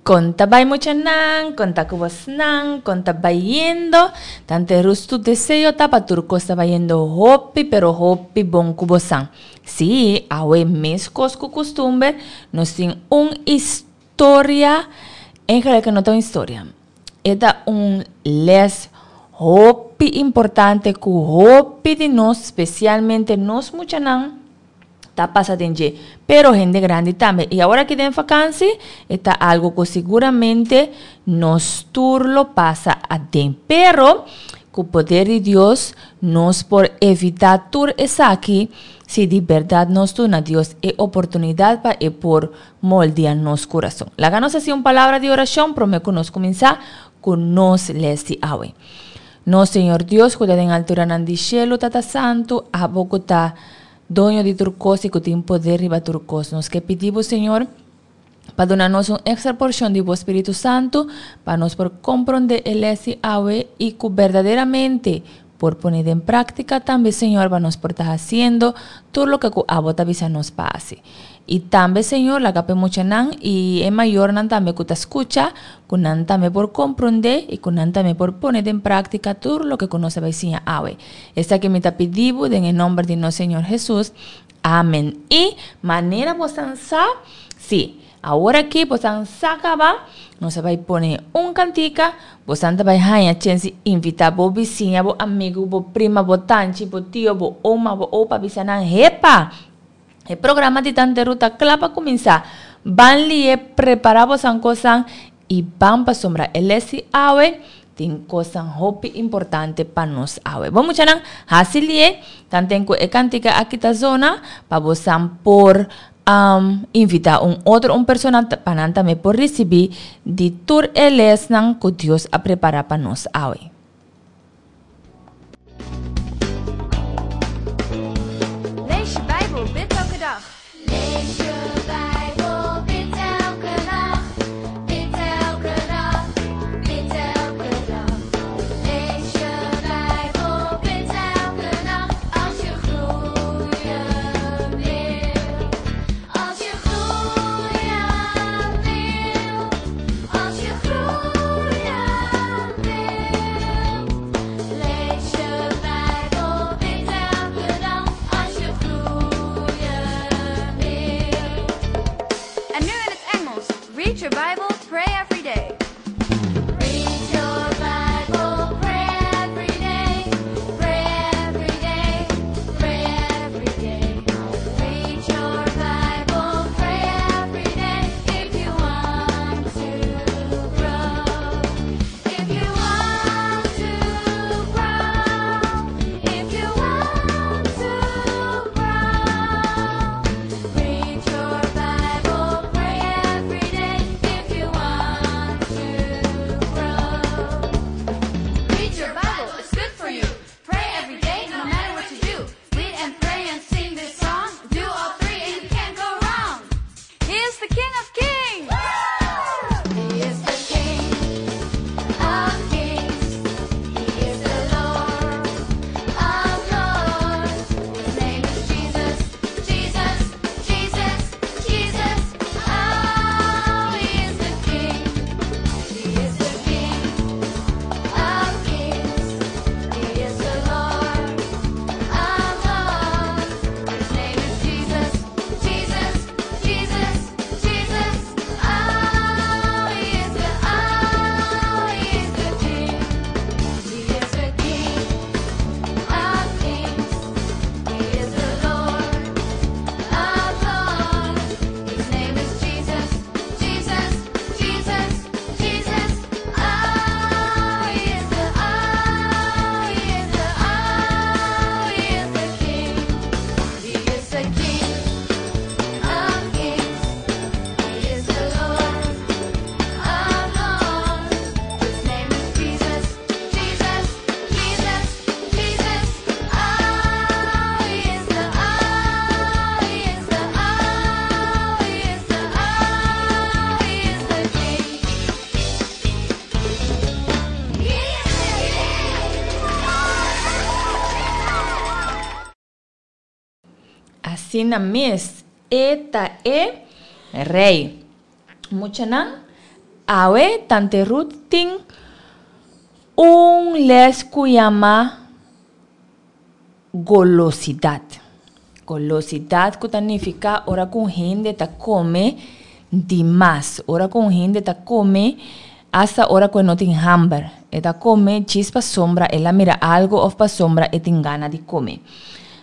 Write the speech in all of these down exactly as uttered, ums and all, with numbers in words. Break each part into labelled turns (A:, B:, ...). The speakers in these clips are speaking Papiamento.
A: Kon ta bai muchanan, kon ta ku bosnan, kon ta bayendo? Tante Ruth su deseo ta pa tur kos ta bayendo hopi pero hopi bon ku bosan. Sí, awe meskos ku kustumber nos tin un historia, eigenlijk no ta un historia, e ta un les hopi importante ku hopi di nos, spesialmente nos muchanan, ta pasa den dje, pero hende grandi tambe. I awor aki den vakansi e ta algo ku siguramente nos tur lo pasa aden. Pero ku poder di Dios nos por evitá tur esaki si di bèrdat nos duna Dios e oportunidat pa e por moldia nos kurason. Laga nos hasi un palabra di orashon promé ku nos kuminsá ku nos lès di awe. Nos Señor Dios ku ta den alturanan di shelu, Tata Santu, abo ku ta Doño di tur kos i ku tin poder riba tur kos. Nos ke pidi bo, Señor, pa duna nos un èkstra porshon di bo Spiritu Santu pa nos por komprondé e lès di awe i ku berdaderamente por pone den práktika tambe, Señor, pa nos por ta hasiendo tur loke ku abo ta bisa nos pa hasi. I tambe, Señor, laga pa e muchanan i e mayornan tambe ku ta skucha, ku nan tambe por komprondé i ku nan tambe por pone den práktika tur loke ku nos a bai siña awe. Esaki mi ta pidi bo den e nòmber di nos Señor Hesus. Amen. I manera bosan sa, sí, awor aki bosan sa kaba, nos a bai pone un kantika, bosan ta bai haña chens di invitá bo bisiña, bo amigu, bo prima, bo tanchi, bo tio, bo oma, bo opa, bisa nan, Hepa! E programa di Tante Ruth ta kla pa kuminsá. Ban li'é, prepará bosan kosan i ban pasobra e les di awe tin kosan hopi importante pa nos awe. Bon muchanan, hasi li'é tanten ku e kantika aki ta zona pa bosan por invitá un otro un persona pa nan tambe por risibí di tur e lesnan ku Dios a prepará pa nos awe.
B: Lees je Bijbel, bid elke dag. Lees je Bijbel, bid elke nacht. Bid elke dag, bid elke dag. Lees je Bijbel, bid elke nacht. Als je groeien wil. Als je groeien wil. Als je groeien wil. Lees je Bijbel, bid elke dag. Als je groeien wil. En nu in het Engels. Read your Bible, pray every day. Read your Bible, pray every day. Pray every day, pray every day. Read your Bible, pray every day. If you want to grow. If you want to grow. If you want to grow. Read your Bible, pray every day. If you want to grow. Read your Bible, it's good for you. Pray every day, no matter what you do. Read and pray and sing this song. Do all three and you can't go wrong. He is the King of Kings. He is the King of Kings. He is the Lord of Lords. His name is Jesus, Jesus, Jesus, Jesus. Oh, he is the King. He is the King of Kings. He is the Lord of Lords. His name is Jesus, Jesus, Jesus, Jesus. Oh, he is the, oh, he is the King. He is the King of Kings. He is the Lord of Lords. His name is Jesus, Jesus, Jesus, Jesus. Oh, he is the, oh, he is the, oh, he is the King. He is the King of Kings. He is the Lord of Lords. His name is Jesus, Jesus, Jesus, Jesus. Oh, he is the, oh, he is the, oh, he is the, oh, he is the King. He is the King.
A: Asina mes, e ta e Rei. Muchanan, Awe, Tante Ruth tin un les ku yama golosidat. Golosidat ku ta nifiká ora ku un hende ta kome di mas. Ora ku un hende ta kome hasta ora ku e no tin hamber. E ta kome djis pasobra el a mira algu òf pasobra e tin gana di kome.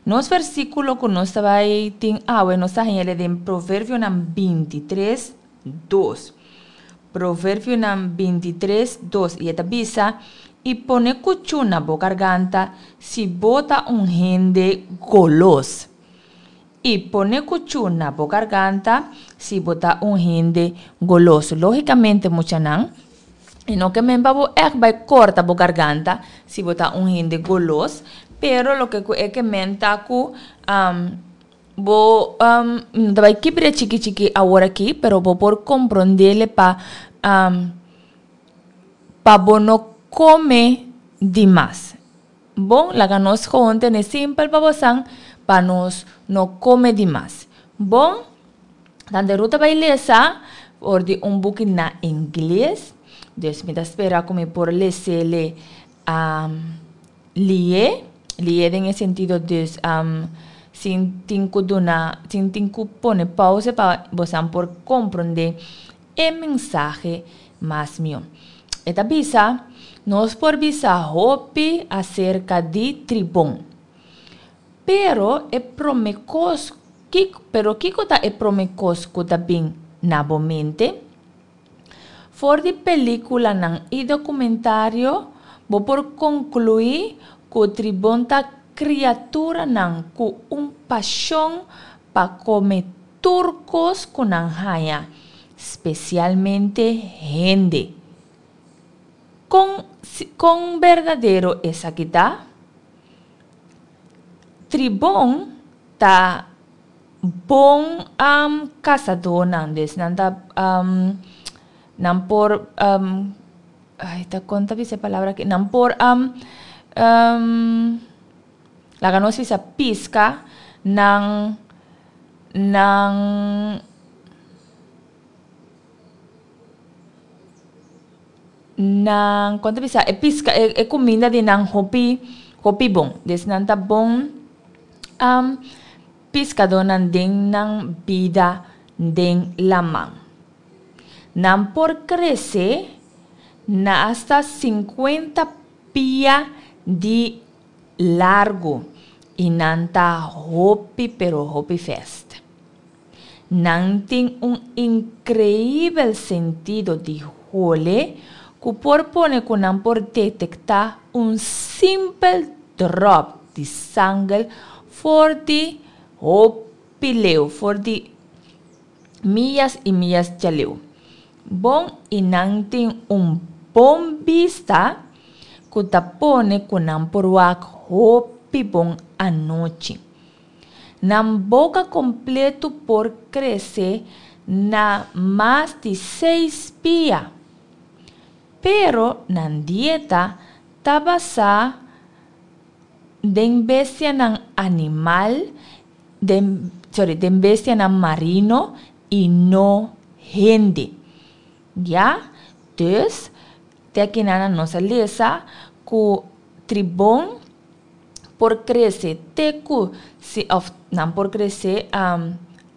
A: Nos versíkulo ku nos ta bai tin awe nos ta haña den Proverbionan binti tres, dos. Proverbionan binti tres, dos. I e ta bisa, I pone kuchú na bo garganta si bo ta un hende golos. I pone kuchú na bo garganta si bo ta un hende golos. Lógikamente, muchanan, e no ke men pa bo ègt bai kòrta bo garganta si bo ta un hende golos, pero loke ku e ke men ta ku bo no ta bai kibra chiki chiki awor aki, pero bo por komprondele pa pa bo no kome di mas. Bon, laga nos gewoon tene simpel pa bosan pa nos no kome di mas. Bon, Tante Ruth ta bai lesa for di un buki na ingles, dus mi ta spera ku mi por lesele lié, lié den e sentido dus sin tin ku duna, sin tin ku pone pauze pa bosan por komprondé e mensahe mas mihó. E ta bisa, Nos por bisa hopi aserka di tribon. Pero e promé kos, pero kiko ta e promé kos ku ta bin na bo mente? For di pelíkulanan i dokumentario bo por konkluí ku tribon ta kriaturanan ku un pashon pa kome tur kos ku nan haña, spesialmente hende. Kon kon berdadero esaki ta? Tribon ta bon kasadónan, dus nan ta nan por ay ta kon ta bisa e palabra aki nan por laga nos bisa piska nan nan. Nan kon ta bisa e piska e kuminda di nan hopi hopi bon. Des nan ta bon piskadónan den nan bida den laman. Nan por krese na asta sinkuenta pia di largu i nan ta hopi pero hopi fèst. Nan tin un inkreibel sentido di hole ku por pone ku nan por detektá un simpel dròp di sangel for di hopi leu, for di miyas i miyas djaleu. Bon i nan tin un bon bista ku ta pone ku nan por wak hopi bon anochi. Nan boka kompletu por krese na mas di seis pia. Pero nan dieta ta basá den bestianan animal, den, sorry, den bestianan marino i no hende. Ya? Dus, te akinan nos a lesa ku tribon por krese te ku, òf nan por krese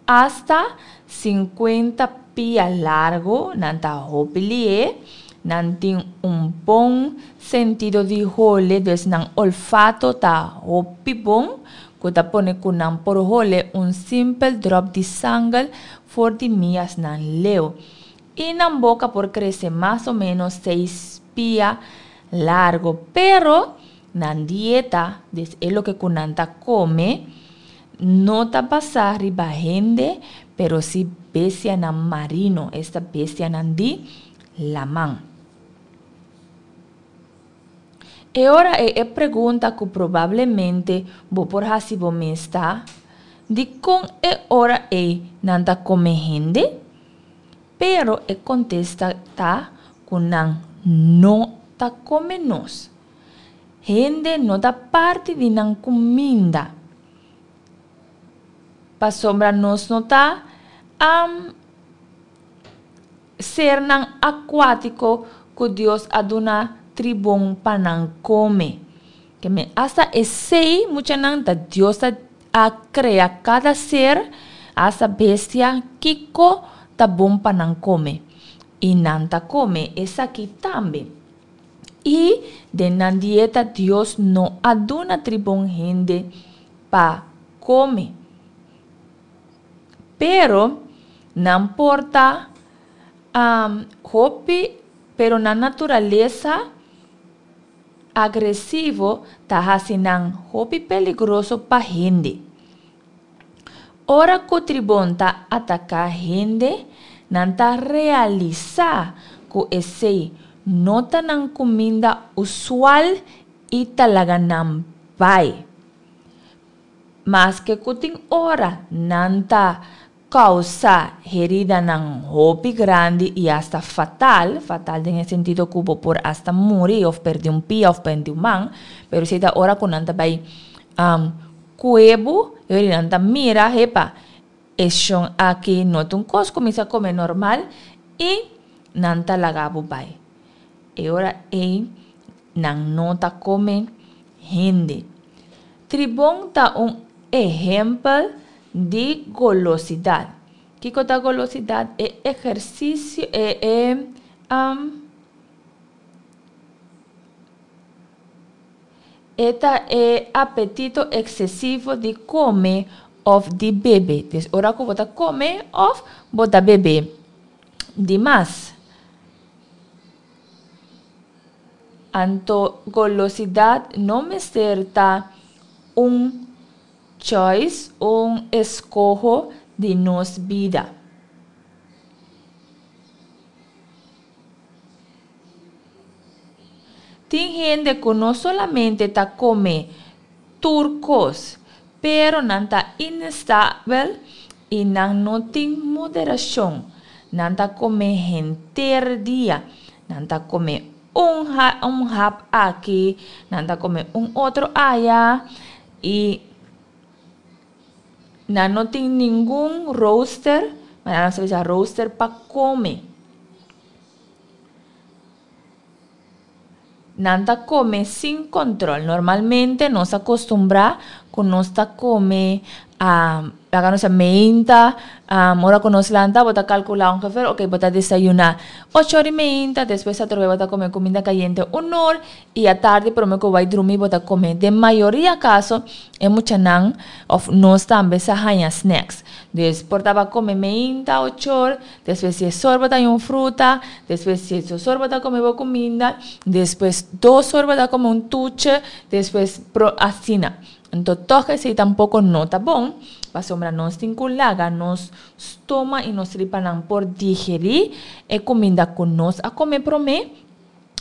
A: asta sinkuenta pia largu, nan ta hopi lié, nan tin un bon sentido di hole, dus nan olfato ta hopi bon, ku ta pone ku nan por hole un simpel dròp di sangel for di miasnan leu. I nan boka por krese mas o ménos seis pia largu, pero nan dieta, dus e loke ku nan ta kome, no ta basá riba hende, pero si bestianan marino, esta bestianan di laman. E ora ei e pregunta ku probablemente bo por hasi bo mes ta, Dikon e ora ei nan ta kome hende? Pero e kontesta ta ku nan no ta kome nos. Hende no ta parti di nan kuminda, pasobra nos no ta Sernan akuátiko ku Dios a duna tribon pa nan kome. Ke men asta esei muchanan ta Dios a, a krea kada ser, asta bestia, kiko ta bon pa nan kome. I nan ta kome esaki tambe. I den nan dieta Dios no a duna tribon hende pa kome. Pero nan por ta um, hopi, pero nan naturalesa agresivo ta hasi nan hopi peligroso pa hende. Ora ku tribon ta ataká hende, nan ta realisá ku esei no ta nan kuminda usual i ta laga nan bai. Maske ku tin ora nan ta kousa heridanan hopi grandi i asta fatal, fatal den e sentido ku bo por asta muri òf pèrdè un pia òf pèrdè un man, pero esei ta ora ku nan ta bai um, kue bo, e ora nan ta mira, hepa, e shon aki no ta un kos ku mi sa kome normal i nan ta laga bo bai. E ora ei nan no ta kome hende. Tribon ta un ehèmpel di golosidat. Kiko ta golosidat? E ehersisio, e, e, um, e ta e apetito eksesivo di kome òf di bebe. Dus ora ku bo ta kome òf bo ta bebe di mas. Anto golosidat no mester ta un choice, un eskoho di nos bida. Tin hende ku no solamente ta kome tur kos, pero nan ta inestabel i nan no tin moderashon. Nan ta kome henter dia. Nan ta kome un, ha un hap aki, nan ta kome un otro aya i nan no tin ningun rooster, ma nan sa bisa rooster pa kome. Nan ta kome sin control. Normalmente nos a kostumbrá ku nos ta kome a laga nos a meinta, um, ora ku nos lanta bo ta kalkulá ongeveer, ok, bo ta desayuná ocho or i meinta, despues atrobe bo ta kome kuminda kayente un or i atardi promé ku bo bai drumi bo ta kome. Den mayoria kaso e muchanan òf nos tambe sa haña snacks. Dus por ta bo kome meinta ocho or, despues dies or bo ta haña un fruta, despues diesdos or bo ta kome bo kuminda, despues dos or bo ta kome un tuche, despues pro asina. Anto tòg esei tampoko no ta bon, pasobra nos tin ku laga nos stoma i nos tripanan por digerí e kuminda ku nos a kome promé,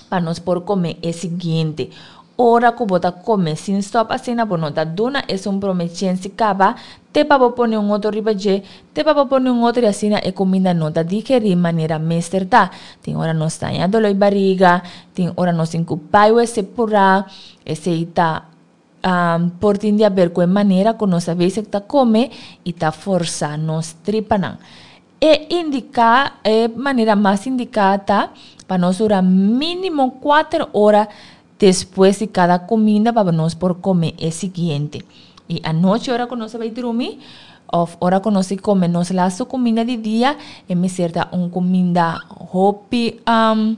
A: pa nos por kome e siguiente. Ora ku bo ta kome sin stòp asina, bo no ta duna esun promé chèns di kaba, te pa bo pone un otro riba dje, te pa bo pone un otro i asina e kuminda no ta digerí manera mester ta. Tin ora nos ta haña doló di bariga, tin ora nos tin ku bai wc purá, esei ta um, por tin di haber ku e manera ku nos a bezig ta kome i ta forsa nos tripanan. E indiká, e manera mas indiká ta pa nos dura mínimo kuater ora despues di kada kuminda pa nos por kome e siguiente. I anochi ora ku nos a bai drumi òf ora ku nos di kome nos lastu kuminda di dia, e mester ta un kuminda hopi um,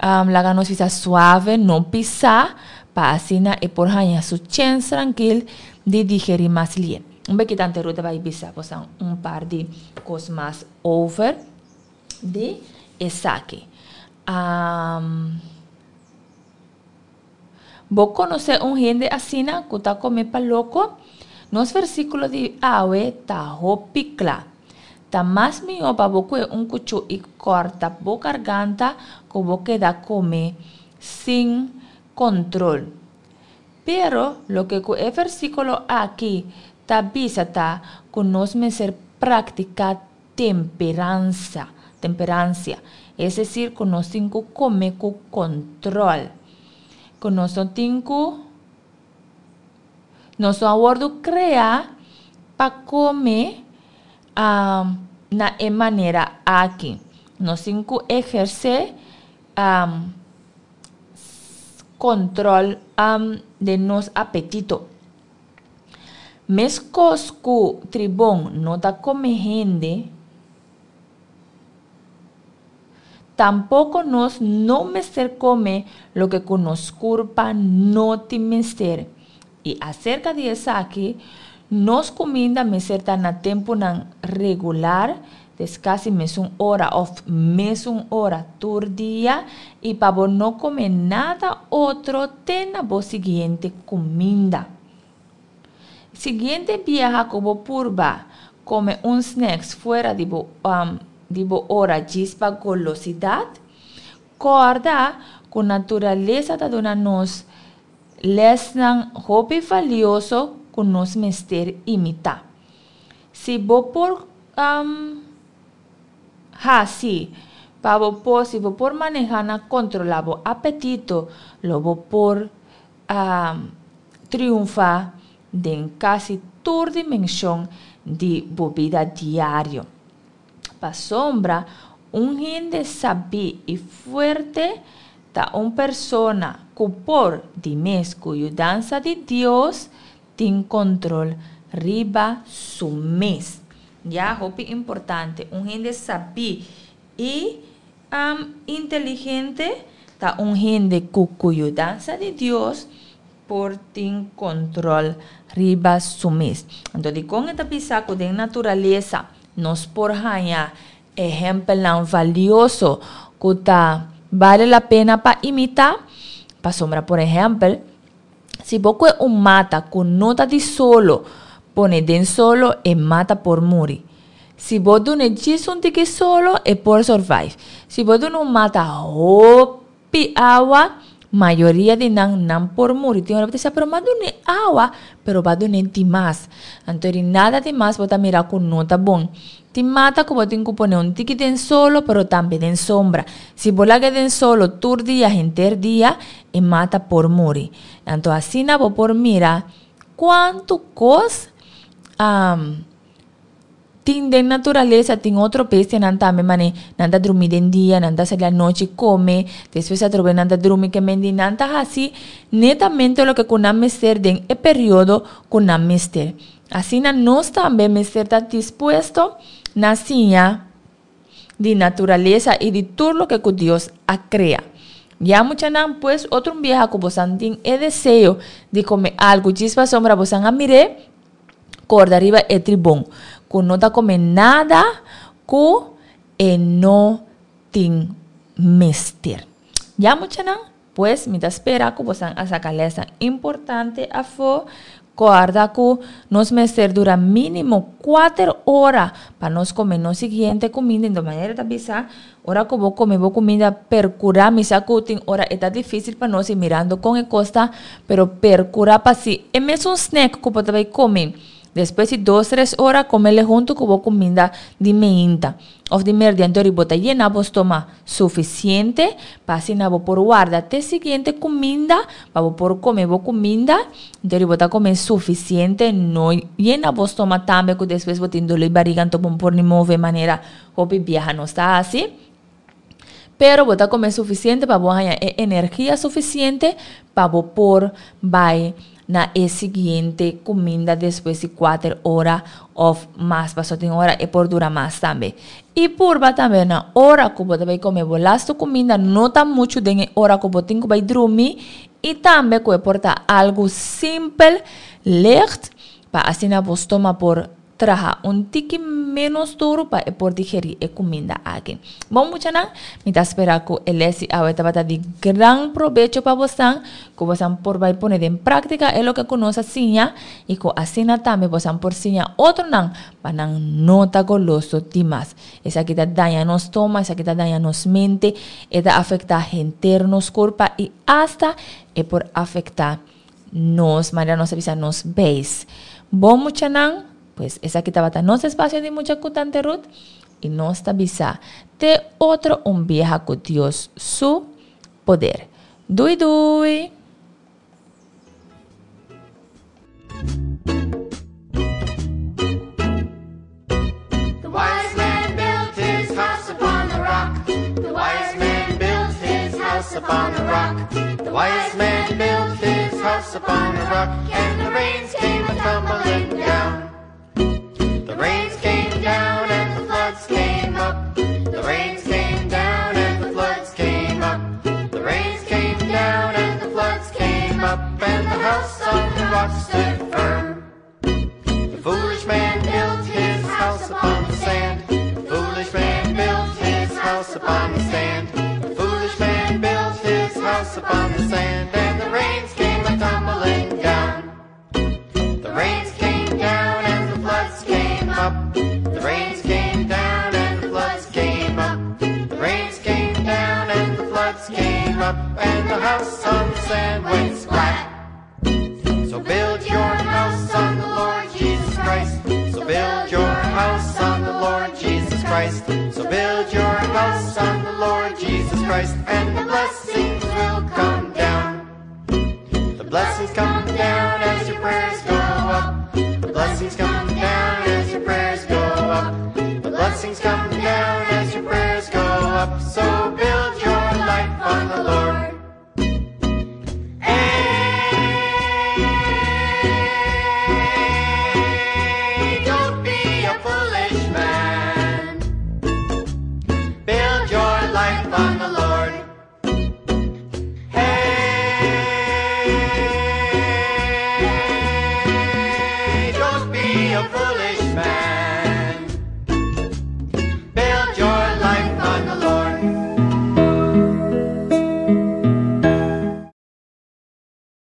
A: um, laga nos bisa suave, no pisá, pa asina e por haña su chèns trankil di digerí mas lié. Un beki tante Ruth a bai bisa bosan un par di kos mas over di esaki. Um, bo konosé un hende asina ku ta kome pa loko? Nos versíkulo di awe ta hopi kla. Ta mas mihó pa bo kue un kuchú i kòrta bo garganta ku bo keda kome sin kontrol. Pero loke ku e versíkulo aki ta bisa ta ku nos mester praktiká temperansa, temperansia. Es desir ku nos tin ku kome ku kontrol. Ku nos no tin ku nos no a wòrdu kreá pa kome um, na e manera aki. Nos tin ku ehersé um, kontrol um, di nos apetito. Meskos ku tribon no ta kome hende, tampoko nos no mester kome loke ku nos kurpa no tin mester. I aserka di esaki, nos kuminda mester ta na tempunan regular, dus kasi mesun ora òf mesun ora tur dia, i pa bo no kome nada otro te na bo siguiente kuminda. Siguiente biaha ku bo purba kome un snacks fuera di bo, um, di bo ora djis pa golosidat, kòrda ku naturalesa ta duna nos lèsnan hopi valioso ku nos mester imitá. Si bo por um, hasi pa bo por, si bo por manehá na kontrolá bo apetito, lo bo por um, triunfá den kasi tur dimenshon di bo bida diario. Pasobra, un hende sabí i fuerte ta un persona ku por, di mes ku yudansa di Dios, tin kontrol riba su mes. Ya, hopi importante. Un hende sabí i um, inteligente ta un hende ku ku yudansa di Dios por tin kontrol riba su mes. Anto, dikon e ta bisa ku den naturalesa nos por haña ehèmpelnan valioso ku ta bale la pena pa imitá? Pasobra, por ehèmpel, si bo kohe un mata ku no ta di solo, pone den solo, e mata por muri. Si bo dun'é djis un tiki solo, e por survive. Si bo duna un mata hopi awa, mayoria di nan, nan por muri. Tin ora bo ta bisa, pero m'a dun'é awa, pero bo a dun'é dimas. Anto di nada dimas bo ta mira ku no ta bon. Tin mata ku bo tin ku pone un tiki den solo, pero tambe den sombra. Si bo laga den solo tur dia, henter dia, e mata por muri. Anto asina bo por mira kuantu kos um, tin den naturalesa. Tin otro bestianan tambe mane nan ta drumi den dia, nan ta sali anochi kome, despues atrobe nan ta drumi ke mendi nan ta hasi netamente loke ku nan mester den e periodo ku nan mester. Asina nos tambe mester ta dispuesto na siña di naturalesa i di tur loke ku Dios a krea. Ya, muchanan, pues otro un biaha ku bosan tin e deseo di kome algu djis pasobra bosan a mir'é, kòrda riba e tribon ku no ta kome nada ku e no tin mester. Ya, muchanan, pues mi ta spera ku bosan a saka lèsnan importante afó. Kòrda ku nos mester dura mínimo kuater ora pa nos kome nos siguiente kuminda. Enton manera ta bisa, ora ku bo kome bo kuminda, perkurá, mi sa ku tin ora e ta difísil pa nos i mirando kon e kos ta, pero perkurá pa si e mesun snack ku bo ta bai kome despues di dos tres ora, komele huntu ku bo kuminda di meinta òf di merdia. Anto bo ta yena bo stoma sufisiente pa asina bo por warda te siguiente kuminda pa bo por kome bo kuminda. Anto bo ta kome sufisiente, no yena bo stoma tambe ku despues bo tin doló di bariga, anto bo no por ni move manera hopi biaha nos ta hasi. Pero bo ta kome sufisiente pa bo haña e energia sufisiente pa bo por bai na e siguiente kuminda despues di kuater ora òf mas, pasobra tin ora e por dura mas tambe. I purba tambe na ora ku bo ta bai kome bo lastu kuminda no ta muchu den e ora ku bo tin ku bai drumi, i tambe ku e por ta algu simpel, licht, pa asina bo stoma por traha un tiki ménos duru pa e por digerí e kuminda aki. Bon, muchanan, mi ta spera ku e lès di awe tabata di gran probecho pa bosan, ku bosan por bai pone den práktika e loke ku nos a siña i ku asina tambe bosan por siña otronan pa nan no ta goloso dimas. Esaki ta daña nos stoma, esaki ta daña nos mente, e ta afektá henter nos kurpa i asta e por afektá nos, manera nos ta bisa, nos beis. Bon, muchanan, pues esaki tabata nos espasio di Mucha ku Tante Ruth i nos ta bisa te otro un biaha ku Dios su poder. Dui dui!
B: The wise man built his house upon the rock.
C: Upon a rock. The wise man built his house upon a rock, and the rains came a tumbling down. The rains came down and the floods came up. The rains came down and the floods came up. The rains came down and the floods came up, and the house on the rock stood firm. The foolish man built his house upon the sand. The foolish man built his house upon the sand. The foolish man built his house upon the sand, and the rains came a tumbling down. The rains came down and the floods came up. The rains came down and the floods came up. The rains came down and the floods came up, and the house on the sand went splat. So build your house on the Lord Jesus Christ. So build your house on the Lord Jesus Christ. So build your house on the Lord Jesus Christ, and the blessings will come down. The blessings come down as your prayers go up. The blessings come down as your prayers go up. The blessings come down as your prayers go up. So build your life on the Lord. Hey, don't be a foolish man. Build your life on the Lord. Hey, don't be a foolish man.